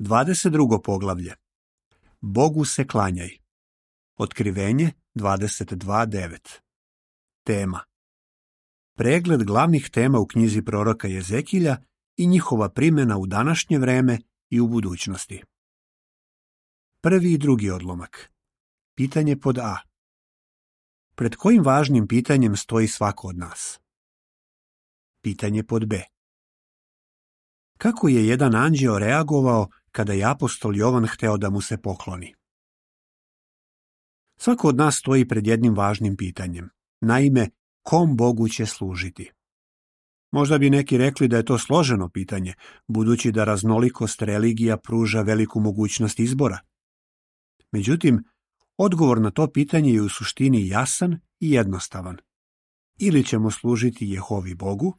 22. poglavlje. Bogu se klanjaj. Otkrivenje 22.9. Tema. Pregled glavnih tema u knjizi proroka Jezekilja i njihova primjena u današnje vreme i u budućnosti. Prvi i drugi odlomak. Pitanje pod A. Pred kojim važnim pitanjem stoji svako od nas? Pitanje pod B. Kako je jedan anđeo reagovao kada je apostol Jovan hteo da mu se pokloni? Svako od nas stoji pred jednim važnim pitanjem. Naime, kom Bogu će služiti? Možda bi neki rekli da je to složeno pitanje, budući da raznolikost religija pruža veliku mogućnost izbora. Međutim, odgovor na to pitanje je u suštini jasan i jednostavan. Ili ćemo služiti Jehovi Bogu,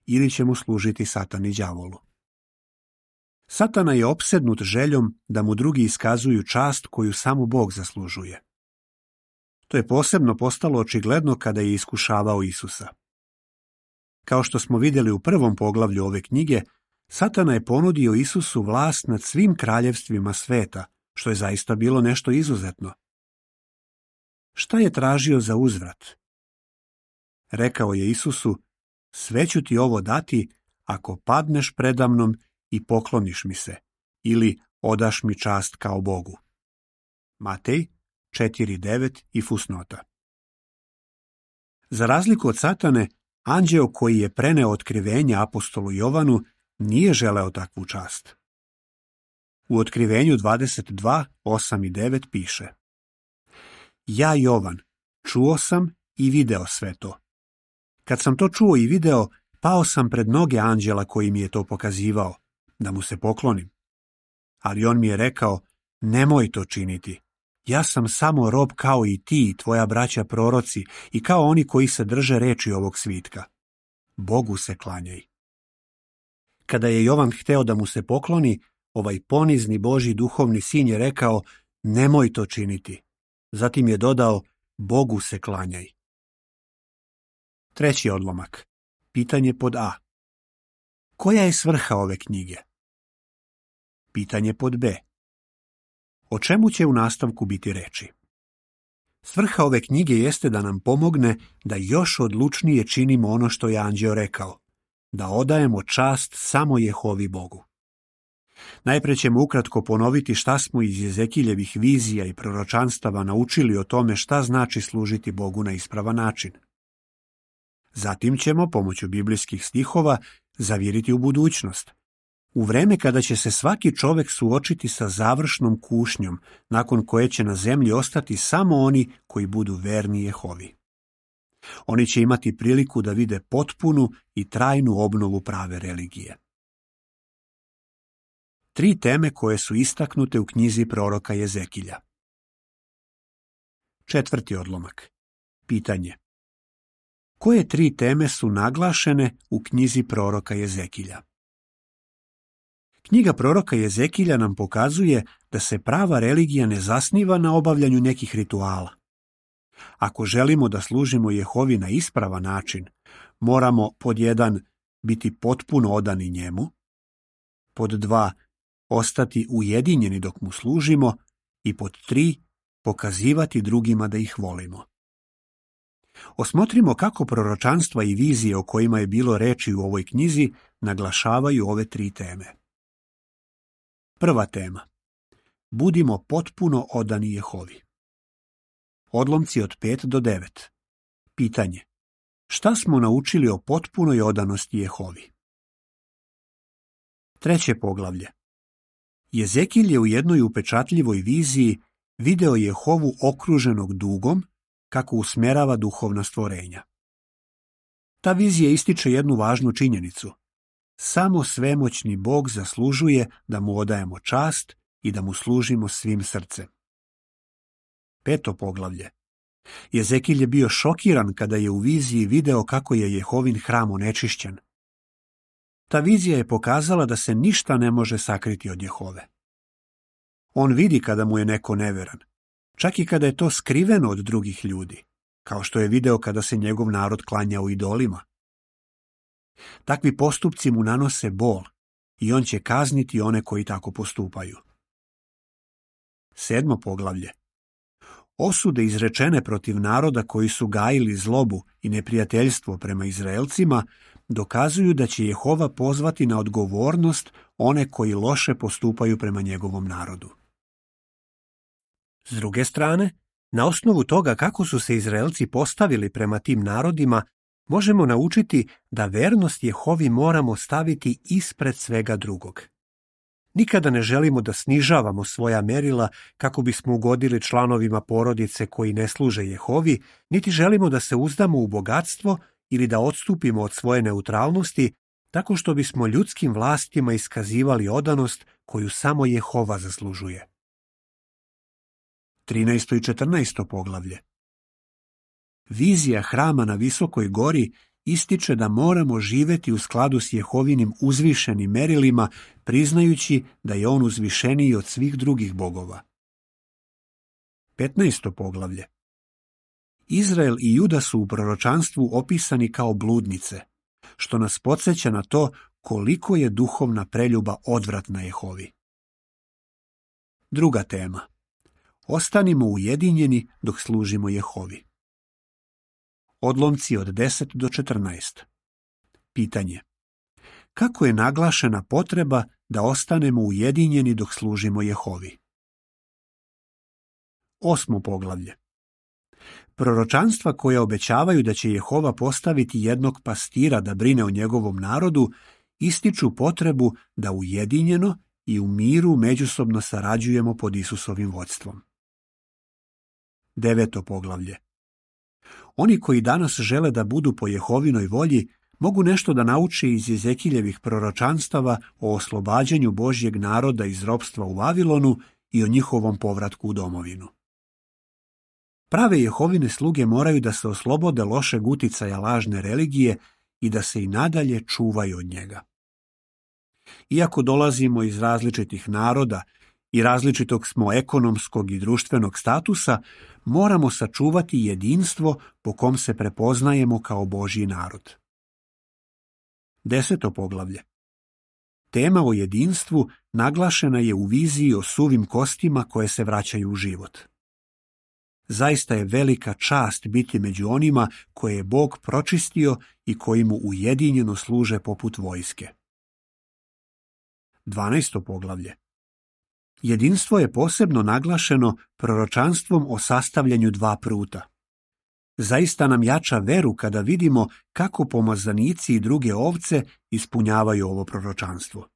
ili ćemo služiti Satani đavolu. Satana je opsednut željom da mu drugi iskazuju čast koju samo Bog zaslužuje. To je posebno postalo očigledno kada je iskušavao Isusa. Kao što smo vidjeli u prvom poglavlju ove knjige, Satana je ponudio Isusu vlast nad svim kraljevstvima sveta, što je zaista bilo nešto izuzetno. Šta je tražio za uzvrat? Rekao je Isusu, sve ću ti ovo dati ako padneš predamnom i pokloniš mi se, ili odaš mi čast kao Bogu. Matej 4.9 i fusnota. Za razliku od Satane, anđeo koji je preneo otkrivenje apostolu Jovanu nije želeo takvu čast. U otkrivenju 22.8 i 9 piše: Ja, Jovan, čuo sam i video sve to. Kad sam to čuo i video, pao sam pred noge anđela koji mi je to pokazivao, da mu se poklonim. Ali on mi je rekao, nemoj to činiti. Ja sam samo rob kao i ti, tvoja braća proroci, i kao oni koji se drže reči ovog svitka. Bogu se klanjaj. Kada je Jovan hteo da mu se pokloni, ovaj ponizni Božji duhovni sin je rekao, nemoj to činiti. Zatim je dodao, Bogu se klanjaj. Treći odlomak. Pitanje pod A. Koja je svrha ove knjige? Pitanje pod B. O čemu će u nastavku biti reči? Svrha ove knjige jeste da nam pomogne da još odlučnije činimo ono što je anđeo rekao, da odajemo čast samo Jehovi Bogu. Najpre ćemo ukratko ponoviti šta smo iz Jezekiljevih vizija i proročanstava naučili o tome šta znači služiti Bogu na ispravan način. Zatim ćemo, pomoću biblijskih stihova, zaviriti u budućnost, u vreme kada će se svaki čovek suočiti sa završnom kušnjom, nakon koje će na zemlji ostati samo oni koji budu verni Jehovi. Oni će imati priliku da vide potpunu i trajnu obnovu prave religije. 3 teme koje su istaknute u knjizi proroka Jezekilja. 4. odlomak. Pitanje. Koje 3 teme su naglašene u knjizi proroka Jezekilja? Knjiga proroka Jezekilja nam pokazuje da se prava religija ne zasniva na obavljanju nekih rituala. Ako želimo da služimo Jehovi na ispravan način, moramo pod 1 biti potpuno odani njemu, pod 2 ostati ujedinjeni dok mu služimo i pod 3 pokazivati drugima da ih volimo. Osmotrimo kako proročanstva i vizije o kojima je bilo reči u ovoj knjizi naglašavaju ove 3 teme. Prva tema. Budimo potpuno odani Jehovi. Odlomci od 5 do 9. Pitanje. Šta smo naučili o potpunoj odanosti Jehovi? 3. poglavlje. Jezekilj je u jednoj upečatljivoj viziji video Jehovu okruženog dugom kako usmjerava duhovna stvorenja. Ta vizija ističe jednu važnu činjenicu. Samo svemoćni Bog zaslužuje da mu odajemo čast i da mu služimo svim srcem. 5. poglavlje. Jezekilj je bio šokiran kada je u viziji video kako je Jehovin hram onečišćen. Ta vizija je pokazala da se ništa ne može sakriti od Jehove. On vidi kada mu je neko neveran, čak i kada je to skriveno od drugih ljudi, kao što je video kada se njegov narod klanjao idolima. Takvi postupci mu nanose bol, i on će kazniti one koji tako postupaju. 7. poglavlje. Osude izrečene protiv naroda koji su gajili zlobu i neprijateljstvo prema Izraelcima dokazuju da će Jehova pozvati na odgovornost one koji loše postupaju prema njegovom narodu. S druge strane, na osnovu toga kako su se Izraelci postavili prema tim narodima, možemo naučiti da vernost Jehovi moramo staviti ispred svega drugog. Nikada ne želimo da snižavamo svoja merila kako bismo ugodili članovima porodice koji ne služe Jehovi, niti želimo da se uzdamo u bogatstvo ili da odstupimo od svoje neutralnosti tako što bismo ljudskim vlastima iskazivali odanost koju samo Jehova zaslužuje. 13. i 14. poglavlje. Vizija hrama na visokoj gori ističe da moramo živeti u skladu s Jehovinim uzvišenim merilima, priznajući da je on uzvišeniji od svih drugih bogova. 15. poglavlje. Izrael i Juda su u proročanstvu opisani kao bludnice, što nas podsjeća na to koliko je duhovna preljuba odvratna Jehovi. Druga tema. Ostanimo ujedinjeni dok služimo Jehovi. Odlomci od 10 do 14. Pitanje. Kako je naglašena potreba da ostanemo ujedinjeni dok služimo Jehovi? 8. poglavlje. Proročanstva koja obećavaju da će Jehova postaviti jednog pastira da brine o njegovom narodu ističu potrebu da ujedinjeno i u miru međusobno sarađujemo pod Isusovim vodstvom. 9. poglavlje. Oni koji danas žele da budu po Jehovinoj volji mogu nešto da nauče iz Ezekiljevih proročanstava o oslobađanju Božjeg naroda iz ropstva u Vavilonu i o njihovom povratku u domovinu. Prave Jehovine sluge moraju da se oslobode lošeg uticaja lažne religije i da se i nadalje čuvaju od njega. Iako dolazimo iz različitih naroda i različitog smo ekonomskog i društvenog statusa, moramo sačuvati jedinstvo po kom se prepoznajemo kao Božji narod. 10. poglavlje. Tema o jedinstvu naglašena je u viziji o suvim kostima koje se vraćaju u život. Zaista je velika čast biti među onima koje je Bog pročistio i koji mu ujedinjeno služe poput vojske. 12. poglavlje. Jedinstvo je posebno naglašeno proročanstvom o sastavljanju dva pruta. Zaista nam jača veru kada vidimo kako pomazanici i druge ovce ispunjavaju ovo proročanstvo.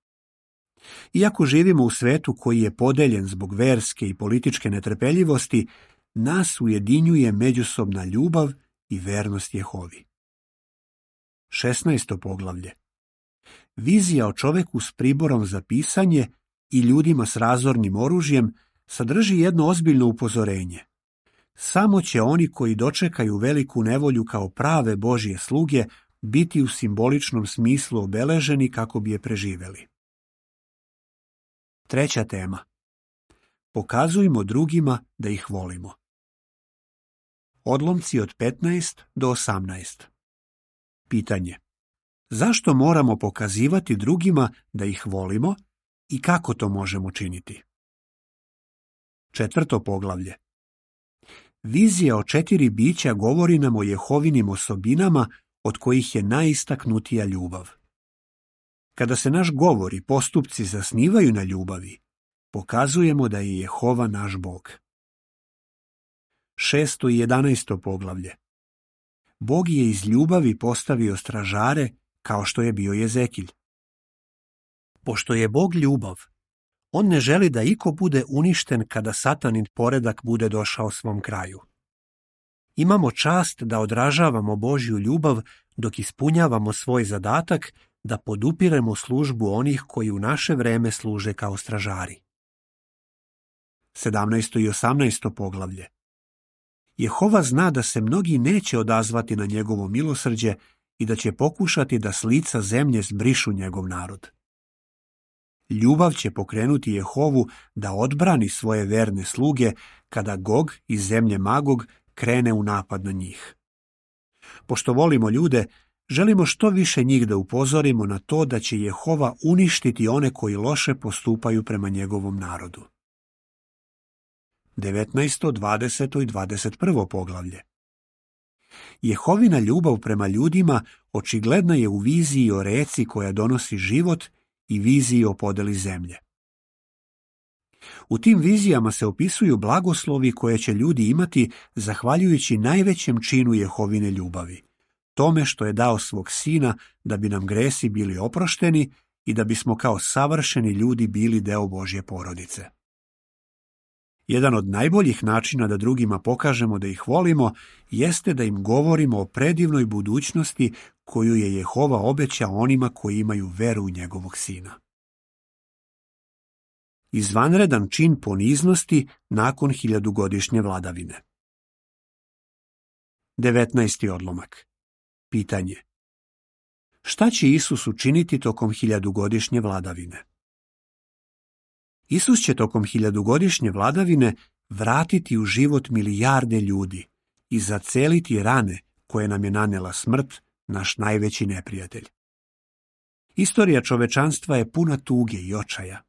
Iako živimo u svetu koji je podeljen zbog verske i političke netrpeljivosti, nas ujedinjuje međusobna ljubav i vernost Jehovi. 16. poglavlje. Vizija o čoveku s priborom za pisanje i ljudima s razornim oružjem sadrži jedno ozbiljno upozorenje. Samo će oni koji dočekaju veliku nevolju kao prave Božje sluge biti u simboličnom smislu obeleženi kako bi je preživeli. Treća tema. Pokazujmo drugima da ih volimo. Odlomci od 15 do 18. Pitanje. Zašto moramo pokazivati drugima da ih volimo i kako to možemo činiti? 4. poglavlje. Vizija o 4 bića govori nam o Jehovinim osobinama od kojih je najistaknutija ljubav. Kada se naš govor i postupci zasnivaju na ljubavi, pokazujemo da je Jehova naš Bog. 6. i 11. poglavlje. Bog je iz ljubavi postavio stražare kao što je bio Jezekilj. Pošto je Bog ljubav, on ne želi da iko bude uništen kada satanin poredak bude došao svom kraju. Imamo čast da odražavamo Božju ljubav dok ispunjavamo svoj zadatak da podupiremo službu onih koji u naše vreme služe kao stražari. 17. i 18. poglavlje. Jehova zna da se mnogi neće odazvati na njegovo milosrđe i da će pokušati da s lica zemlje zbrišu njegov narod. Ljubav će pokrenuti Jehovu da odbrani svoje verne sluge kada Gog iz zemlje Magog krene u napad na njih. Pošto volimo ljude, želimo što više njih da upozorimo na to da će Jehova uništiti one koji loše postupaju prema njegovom narodu. 19., 20. i 21. poglavlje. Jehovina ljubav prema ljudima očigledna je u viziji o reci koja donosi život i viziji o podeli zemlje. U tim vizijama se opisuju blagoslovi koje će ljudi imati zahvaljujući najvećem činu Jehovine ljubavi, tome što je dao svog sina da bi nam gresi bili oprošteni i da bismo kao savršeni ljudi bili deo Božje porodice. Jedan od najboljih načina da drugima pokažemo da ih volimo jeste da im govorimo o predivnoj budućnosti koju je Jehova obećao onima koji imaju veru u njegovog sina. Izvanredan čin poniznosti nakon 1000-godišnje vladavine. 19. odlomak. Pitanje. Šta će Isus učiniti tokom 1000-godišnje vladavine? Isus će tokom 1000-godišnje vladavine vratiti u život milijarde ljudi i zaceliti rane koje nam je nanela smrt, naš najveći neprijatelj. Istorija čovečanstva je puna tuge i očaja.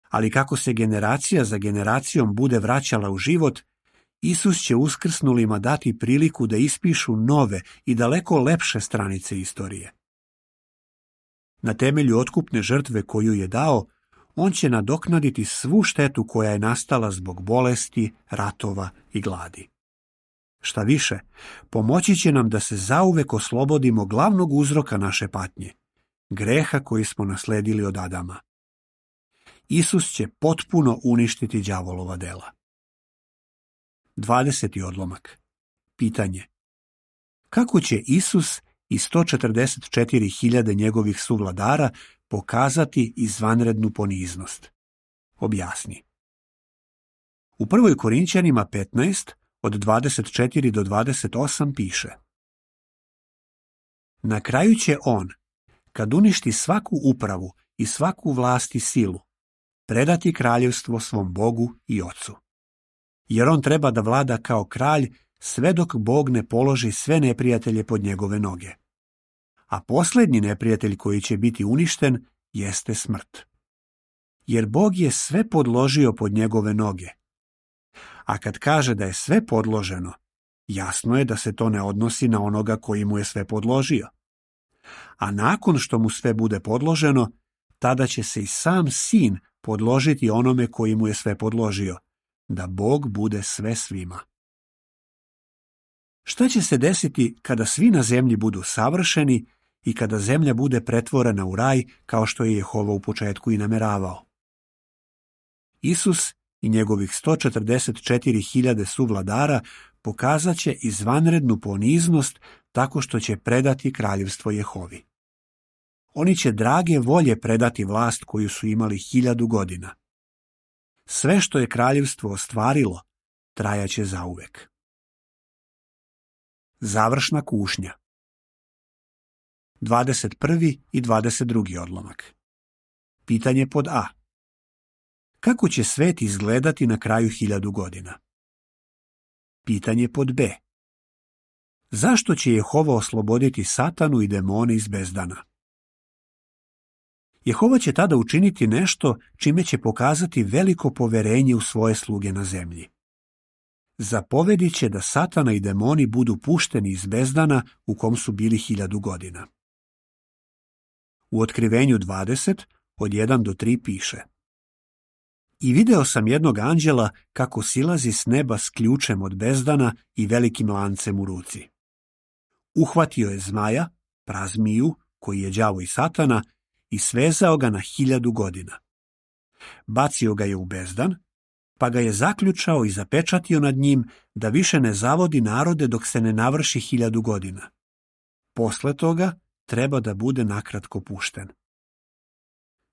Ali kako se generacija za generacijom bude vraćala u život, Isus će uskrsnulima dati priliku da ispišu nove i daleko lepše stranice istorije. Na temelju otkupne žrtve koju je dao, on će nadoknaditi svu štetu koja je nastala zbog bolesti, ratova i gladi. Šta više, pomoći će nam da se zauvek oslobodimo glavnog uzroka naše patnje, greha koji smo nasledili od Adama. Isus će potpuno uništiti đavolova dela. 20. odlomak. Pitanje. Kako će Isus i 144.000 njegovih suvladara pokazati izvanrednu poniznost? Objasni. U 1. Korinćanima 15, od 24 do 28 piše: Na kraju će on, kad uništi svaku upravu i svaku vlast i silu, predati kraljevstvo svom Bogu i Ocu. Jer on treba da vlada kao kralj sve dok Bog ne položi sve neprijatelje pod njegove noge. A posljednji neprijatelj koji će biti uništen jeste smrt. Jer Bog je sve podložio pod njegove noge. A kad kaže da je sve podloženo, jasno je da se to ne odnosi na onoga koji mu je sve podložio. A nakon što mu sve bude podloženo, tada će se i sam sin podložiti onome koji mu je sve podložio, da Bog bude sve svima. Šta će se desiti kada svi na zemlji budu savršeni i kada zemlja bude pretvorena u raj kao što je Jehova u početku i nameravao? Isus i njegovih 144.000 suvladara pokazat će izvanrednu poniznost tako što će predati kraljevstvo Jehovi. Oni će drage volje predati vlast koju su imali 1000 godina. Sve što je kraljevstvo ostvarilo, trajaće zauvek. Završna kušnja. 21. i 22. odlomak. Pitanje pod A. Kako će svet izgledati na kraju 1000 godina? Pitanje pod B. Zašto će Jehova osloboditi Satanu i demone iz bezdana? Jehova će tada učiniti nešto čime će pokazati veliko poverenje u svoje sluge na zemlji. Zapovedit će da Satana i demoni budu pušteni iz bezdana u kom su bili 1000 godina. U Otkrivenju 20, od 1 do 3 piše: I video sam jednog anđela kako silazi s neba s ključem od bezdana i velikim lancem u ruci. Uhvatio je zmaja, prazmiju, koji je đavo i Satana, i svezao ga na 1000 godina. Bacio ga je u bezdan, pa ga je zaključao i zapečatio nad njim da više ne zavodi narode dok se ne navrši 1000 godina. Posle toga treba da bude nakratko pušten.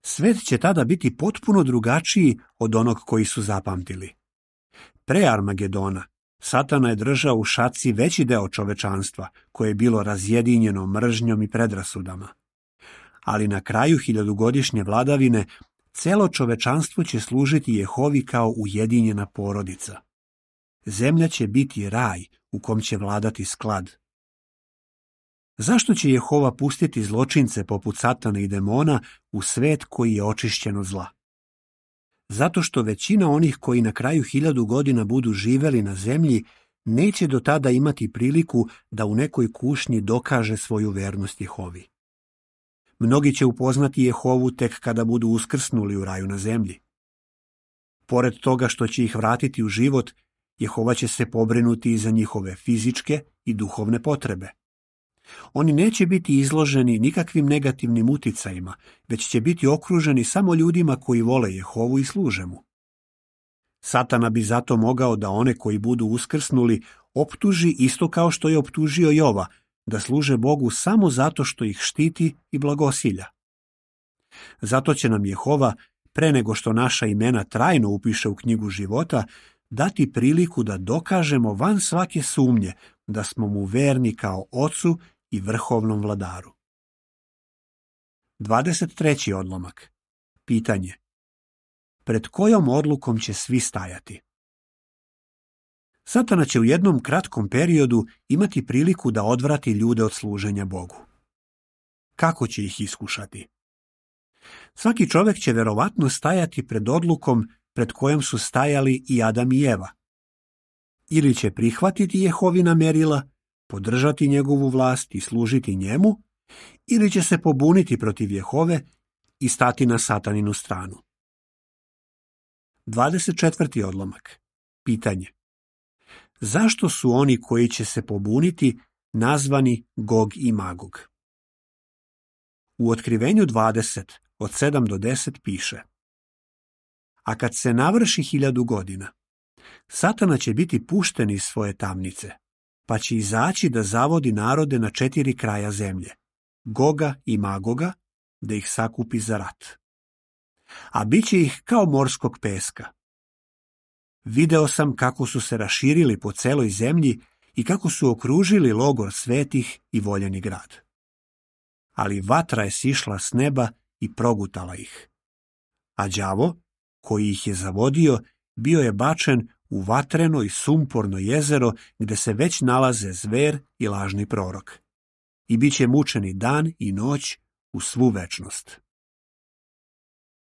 Svet će tada biti potpuno drugačiji od onog koji su zapamtili. Pre Armagedona Satana je držao u šaci veći deo čovečanstva, koje je bilo razjedinjeno mržnjom i predrasudama. Ali na kraju 1000-godišnje vladavine celo čovečanstvo će služiti Jehovi kao ujedinjena porodica. Zemlja će biti raj u kom će vladati sklad. Zašto će Jehova pustiti zločince poput Satana i demona u svet koji je očišćen od zla? Zato što većina onih koji na kraju 1000 godina budu živeli na zemlji neće do tada imati priliku da u nekoj kušnji dokaže svoju vernost Jehovi. Mnogi će upoznati Jehovu tek kada budu uskrsnuli u raju na zemlji. Pored toga što će ih vratiti u život, Jehova će se pobrinuti i za njihove fizičke i duhovne potrebe. Oni neće biti izloženi nikakvim negativnim uticajima, već će biti okruženi samo ljudima koji vole Jehovu i služe mu. Satana bi zato mogao da one koji budu uskrsnuli optuži isto kao što je optužio Jova, da služe Bogu samo zato što ih štiti i blagosilja. Zato će nam Jehova, pre nego što naša imena trajno upiše u knjigu života, dati priliku da dokažemo van svake sumnje da smo mu verni kao Ocu i vrhovnom vladaru. 23. odlomak. Pitanje. Pred kojom odlukom će svi stajati? Satana će u jednom kratkom periodu imati priliku da odvrati ljude od služenja Bogu. Kako će ih iskušati? Svaki čovjek će verovatno stajati pred odlukom pred kojom su stajali i Adam i Eva. Ili će prihvatiti Jehovina merila, podržati njegovu vlast i služiti njemu, ili će se pobuniti protiv Jehove i stati na Sataninu stranu. 24. odlomak. Pitanje. Zašto su oni koji će se pobuniti nazvani Gog i Magog? U Otkrivenju 20, od 7 do 10 piše: A kad se navrši 1000 godina, Satana će biti pušten iz svoje tamnice, pa će izaći da zavodi narode na 4 kraja zemlje, Goga i Magoga, da ih sakupi za rat. A bit će ih kao morskog peska. Video sam kako su se raširili po celoj zemlji i kako su okružili logor svetih i voljeni grad. Ali vatra je sišla s neba i progutala ih. A đavo, koji ih je zavodio, bio je bačen u vatreno i sumporno jezero gde se već nalaze zver i lažni prorok. I bit će mučeni dan i noć u svu večnost.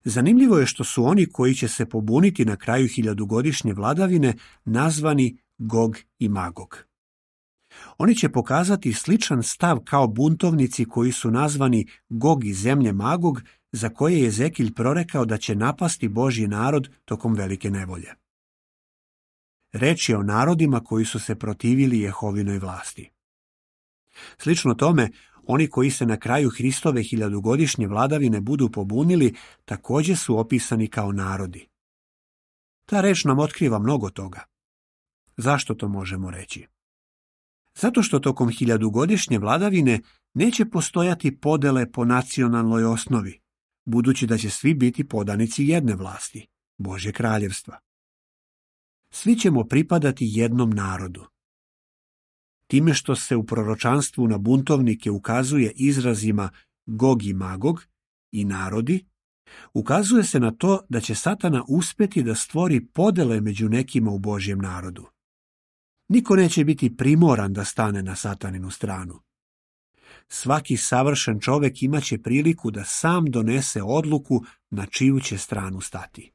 Zanimljivo je što su oni koji će se pobuniti na kraju 1000-godišnje vladavine nazvani Gog i Magog. Oni će pokazati sličan stav kao buntovnici koji su nazvani Gog iz zemlje Magog, za koje je Ezekilj prorekao da će napasti Božji narod tokom velike nevolje. Reč je o narodima koji su se protivili Jehovinoj vlasti. Slično tome, oni koji se na kraju Hristove 1000-godišnje vladavine budu pobunili, također su opisani kao narodi. Ta reč nam otkriva mnogo toga. Zašto to možemo reći? Zato što tokom 1000-godišnje vladavine neće postojati podele po nacionalnoj osnovi, budući da će svi biti podanici jedne vlasti, Božje kraljevstva. Svi ćemo pripadati jednom narodu. Time što se u proročanstvu na buntovnike ukazuje izrazima Gog i Magog i narodi, ukazuje se na to da će Satana uspeti da stvori podele među nekima u Božjem narodu. Niko neće biti primoran da stane na Sataninu stranu. Svaki savršen čovjek imaće priliku da sam donese odluku na čiju će stranu stati.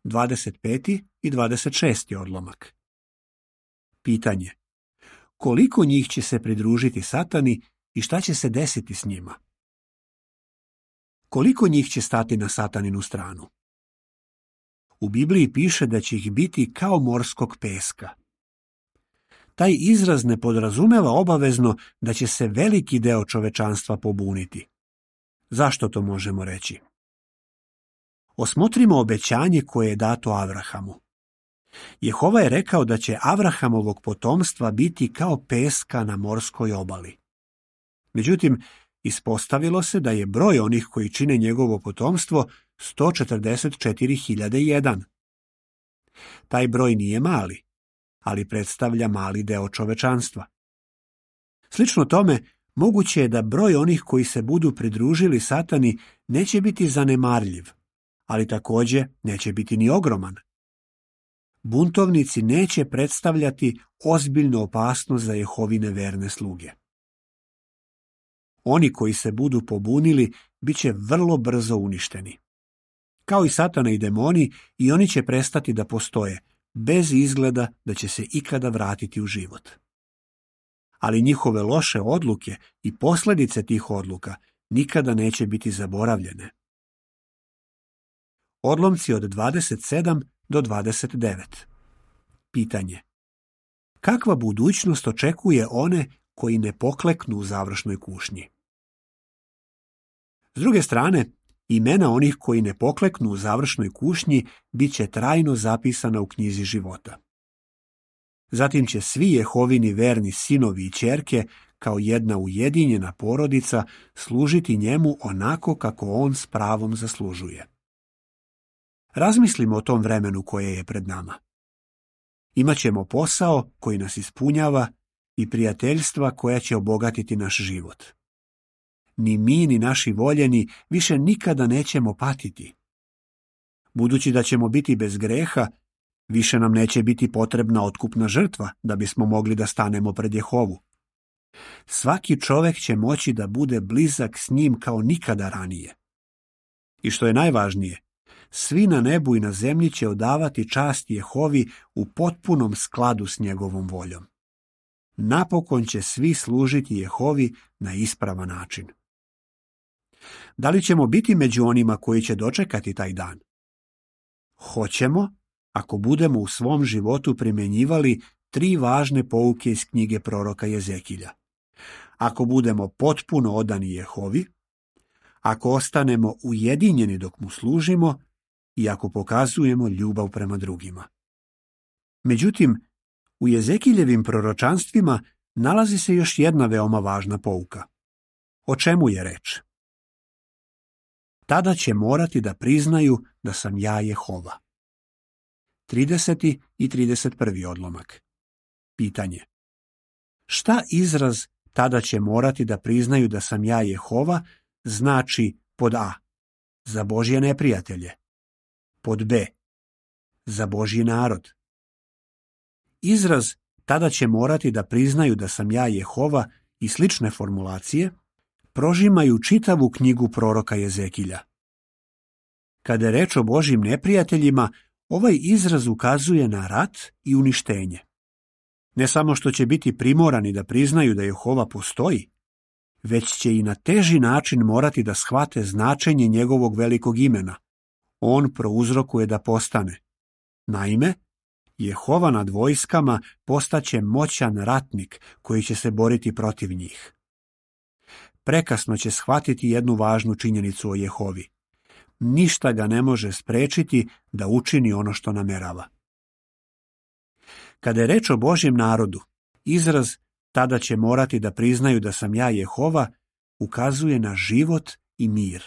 25. i 26. odlomak. Pitanje. Koliko njih će se pridružiti Satani i šta će se desiti s njima? Koliko njih će stati na Sataninu stranu? U Bibliji piše da će ih biti kao morskog peska. Taj izraz ne podrazumeva obavezno da će se veliki deo čovečanstva pobuniti. Zašto to možemo reći? Osmotrimo obećanje koje je dato Avrahamu. Jehova je rekao da će Avrahamovog potomstva biti kao peska na morskoj obali. Međutim, ispostavilo se da je broj onih koji čine njegovo potomstvo 144.001. Taj broj nije mali, ali predstavlja mali deo čovečanstva. Slično tome, moguće je da broj onih koji se budu pridružili Satani neće biti zanemarljiv, ali također neće biti ni ogroman. Buntovnici neće predstavljati ozbiljnu opasnost za Jehovine verne sluge. Oni koji se budu pobunili bit će vrlo brzo uništeni. Kao i Satana i demoni, i oni će prestati da postoje, bez izgleda da će se ikada vratiti u život. Ali njihove loše odluke i posljedice tih odluka nikada neće biti zaboravljene. Odlomci od 27 do 29. Pitanje. Kakva budućnost očekuje one koji ne pokleknu u završnoj kušnji? S druge strane, imena onih koji ne pokleknu u završnoj kušnji bit će trajno zapisana u knjizi života. Zatim će svi Jehovini verni sinovi i ćerke, kao jedna ujedinjena porodica, služiti njemu onako kako on s pravom zaslužuje. Razmislimo o tom vremenu koje je pred nama. Imaćemo posao koji nas ispunjava i prijateljstva koja će obogatiti naš život. Ni mi, ni naši voljeni više nikada nećemo patiti. Budući da ćemo biti bez greha, više nam neće biti potrebna otkupna žrtva da bismo mogli da stanemo pred Jehovu. Svaki čovek će moći da bude blizak s njim kao nikada ranije. I što je najvažnije, svi na nebu i na zemlji će odavati čast Jehovi u potpunom skladu s njegovom voljom. Napokon će svi služiti Jehovi na ispravan način. Da li ćemo biti među onima koji će dočekati taj dan? Hoćemo, ako budemo u svom životu primjenjivali 3 važne pouke iz knjige proroka Jezekilja. Ako budemo potpuno odani Jehovi, ako ostanemo ujedinjeni dok mu služimo i ako pokazujemo ljubav prema drugima. Međutim, u Jezekiljevim proročanstvima nalazi se još jedna veoma važna pouka. O čemu je reč? Tada će morati da priznaju da sam ja Jehova. 30. i 31. odlomak. Pitanje. Šta izraz tada će morati da priznaju da sam ja Jehova znači pod A. Za Božje neprijatelje. Pod B. Za Božji narod. Izraz tada će morati da priznaju da sam ja Jehova i slične formulacije prožimaju čitavu knjigu proroka Jezekilja. Kada je reč o Božjim neprijateljima, ovaj izraz ukazuje na rat i uništenje. Ne samo što će biti primorani da priznaju da Jehova postoji, već će i na teži način morati da shvate značenje njegovog velikog imena. On prouzrokuje da postane. Naime, Jehova nad vojskama postaće moćan ratnik koji će se boriti protiv njih. Prekasno će shvatiti jednu važnu činjenicu o Jehovi. Ništa ga ne može sprečiti da učini ono što namerava. Kada je reč o Božjem narodu, izraz tada će morati da priznaju da sam ja Jehova ukazuje na život i mir.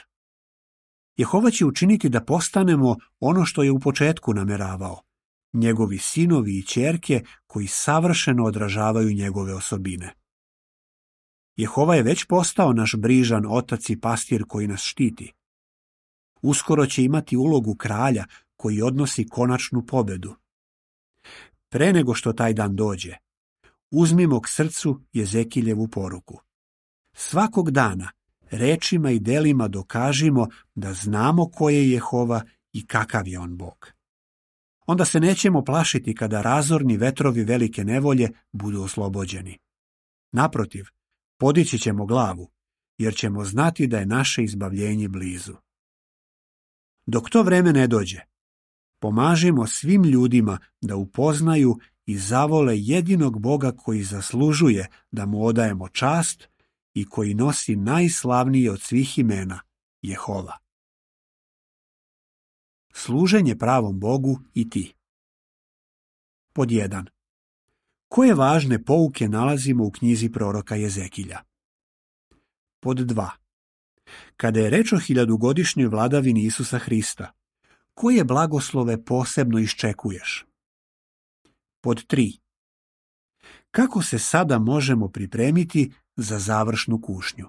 Jehova će učiniti da postanemo ono što je u početku nameravao, njegovi sinovi i ćerke koji savršeno odražavaju njegove osobine. Jehova je već postao naš brižan otac i pastir koji nas štiti. Uskoro će imati ulogu kralja koji odnosi konačnu pobedu. Pre nego što taj dan dođe, uzmimo k srcu Jezekiljevu poruku. Svakog dana rečima i delima dokažimo da znamo ko je Jehova i kakav je on Bog. Onda se nećemo plašiti kada razorni vetrovi velike nevolje budu oslobođeni. Naprotiv, podići ćemo glavu, jer ćemo znati da je naše izbavljenje blizu. Dok to vreme ne dođe, pomažimo svim ljudima da upoznaju i zavole jedinog Boga koji zaslužuje da mu odajemo čast i koji nosi najslavnije od svih imena, Jehova. Služenje pravom Bogu i ti. Pod 1. Koje važne pouke nalazimo u knjizi proroka Jezekilja? Pod 2. Kada je reč o 1000-godišnjoj vladavini Isusa Hrista, koje blagoslove posebno iščekuješ? Pod 3. Kako se sada možemo pripremiti za završnu kušnju?